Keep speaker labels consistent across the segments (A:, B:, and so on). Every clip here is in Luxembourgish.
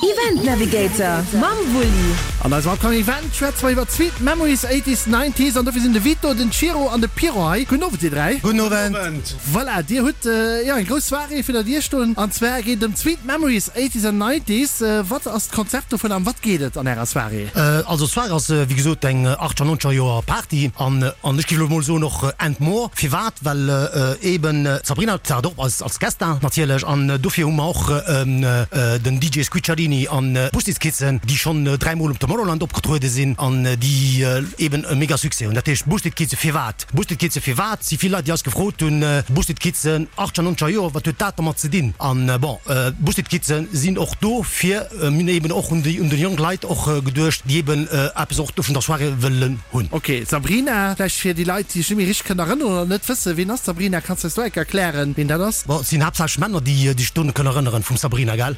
A: Event Navigator mam Wulli.
B: An eisem upcoming Event schwätze mer iwwer d'Sweet Memories 80s, 90s an dofir sinn de Vito, den Ciro an de Piro hei. Gudden Owend dir 3.
C: Gudden Owend.
B: Voilà, dir hutt jo eng grouss Soirée virun der Dier stoen an zwar geet et ëm d'Sweet Memories 80s and 90s. Wat ass d'Konzept dovun a ëm wat geet et an ärer Soirée?
C: Also d'Soirée ass wéi gesot eng 80 90er Joer Party an ech géif elo mol soen och and more. Firwat? Well eben d'Sabrina taucht op als als Guest star natierlech an dofir hu mer och den DJ Squicciarini an d'Boosted Kidsen déi schonn 3 mol um Tomorrowland opgetruede sinn an déi eben e mega Succès hunn. Dat heescht Boosted Kidsen firwat? Boosted Kidsen firwat? Si vill Leit déi eis gefrot hunn, Boosted Kidsen 80 90er Joer wat huet dat dermat ze dinn? An bon Boosted Kidsen sinn och do fir Mir hunn eben och un déi un déi jonk Leit och geduecht, déi eben eppes och do vun der Soirée wëllen hunn.
B: Ok, Sabrina, vläicht fir déi Leit, déi sech net méi richteg kënnen erënneren oder net wëssen, wien ass d'Sabrina? Kanns de eis do enk erklären, wien dat ass?
C: Bon, et sinn haaptsächlech Männer, déi sech do kënnen erënneren vum Sabrina, gell?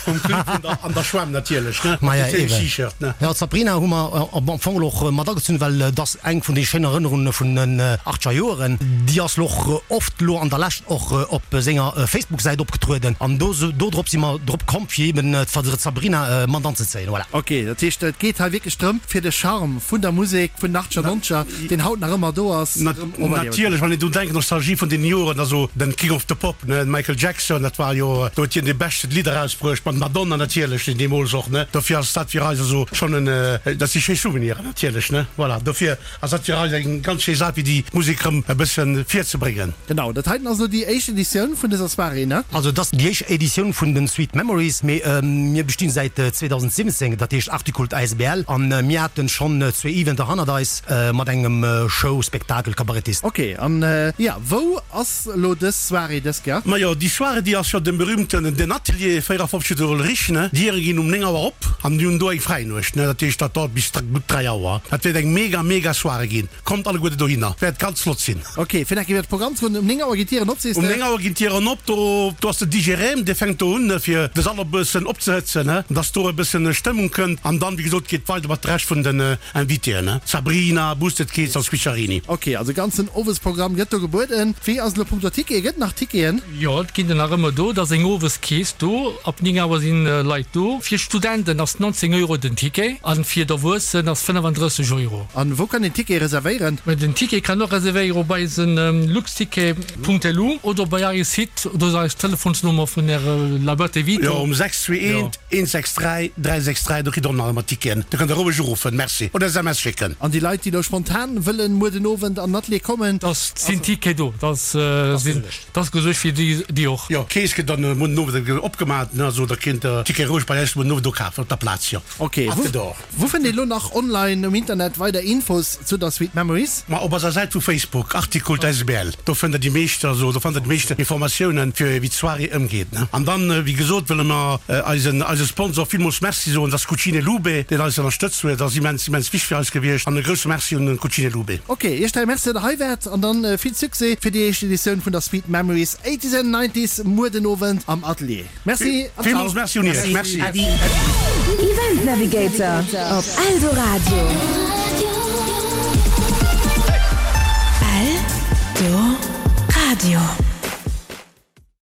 D: Vum Clip vun der An der Schwämm natierlech, ne?
C: Maja, eben. T-Shirt, ne? Jo, d'Sabrina hu mer am Fong elo och mat agezunn, well et ass eng vun de schéinen Erënnerunge vun den achtscher Joeren. Déi ass lo och oft lo an der Lescht och op senger Facebook-Säit opgetrueden an do dodrop si mer drop komm fir eben d'Sabrina mat anzezéien. Voilà.
B: Ok, dat heescht et geet hei wierklech drëm fir de Charme vun der Musek vun den achtscher, nonzeger, deen haut nach ëmmer do ass,
D: erëm operléiwen. Natierlech, wann een drun denkt, Nostalgie vun deenen Joren, also den King of the Pop, ne, Michael Jackson, dat war jo, do huet hien déi beschten Lidder erausbruecht, mat Madonna natierlech, deen deemools och, ne, dofir ass dat fir eis also schonn en, dat si schéi Souveniren natierlech, ne, voilà, dofir. Ass dat fir eis eng ganz schéi Saach fir déi Musek rëm e bëssen virzebréngen.
B: Genau, dat heiten ass elo déi éischt Editioun vun dëser Soirée, ne?
C: Also et ass déi éischt Editioun vun den Sweet Memories, mee mir bestinn säit 2017, dat heescht Articult asbl, an mir haten schonn zwee Eventer hannert eis mat engem Show, Spektakel, Kabarettist.
B: Ok, an jo, wou ass elo dës Soirée dës Kéier?
D: Majo, déi Soirée déi ass jo dem berühmten Den Atelier 54 de Hollerich, ne? D'Diere ginn um 9 Auer op an mir hunn do eng Fräinuecht, ne? Dat heescht dat dauert bis gutt 3 Auer. Dat wäert eng mega mega Soirée ginn. Kommt alleguerte dohinner, wäert ganz flott sinn.
B: Ok, fir nach iwwert d'Programm ze goen, um 9 Auer ginn d'Dieren op, sees de?
D: Um 9 Auer ginn d'Dieren op, do do ass de DJ Rem, dee fänkt do un fir de Sall e bëssen opzehëtzen, ne? Dass do e bëssen Stëmmung kënnt an dann, wéi gesot, geet weider mat de Rescht vun den Invitéen, ne? Sabrina, Boosted Kids a Squicciarini.
B: Ok, also ganzen Owesprogramm gëtt do gebueden. Wéi ass et elo punkto Ticketen? Gëtt et nach Ticketen?
E: Jo, et ginn der nach ëmmer do. Et ass eng Oweskeess do. Ab 9 Auer si Leit do. Fir Studenten ass 19 Euro den Ticket an fir d'Erwuessen ass 35 Euro.
B: An wou kann een Ticket reservéieren?
E: Den Ticket kann och reservéiere op eisen luxticket.lu oder bei eis Site. Do ass eis Telefonsnummer vun Äre La Boîte Vito.
D: Jo, um 621 163 363, do kritt der och nach ëmmer Ticketen. Do kënnt der roueg uruffen, merci, oder SMS schécken.
B: An déi Leit, déi elo spontan wëllen muer den Owend an den Atelier kommen?
E: Da sinn Ticket do. Da ass gesuergt fir déi och.
D: Jo, d'Keess gëtt dann muer den Owend opgemaach, also da kéint der Ticket roueg bei eis muer den Owend do kafen op der Plaz, jo.
B: Ok, wou fënnt een elo nach online um Internet weider Infos zu der Sweet Memories?
D: Ma op eiser Säit vu Facebook, Articult asbl, do fënnt der déi meescht, also do fannt der déi meescht Informatiounen fir wéi d'Soirée ëmgeet, ne. An dann, wéi gesot, wëlle mer eisen eise Sponsor villmools Merci soen, dat ass Cucine Lube, deen eis ënnerstëtzt huet. Dat ass immens, immens wichteg fir eis gewiescht an e grousse Merci un Cucine Lube.
B: Ok, iech 3 Merci, datt der hei waart an dann vill Succès fir déi éischt Editioun vun der Sweet Memories 80s and 90s muer den Owend am Atelier. Merci
D: an ciao. Villmools Merci un Iech. Merci.
A: Adi. Event Navigator op Eldoradio. Eldoradio.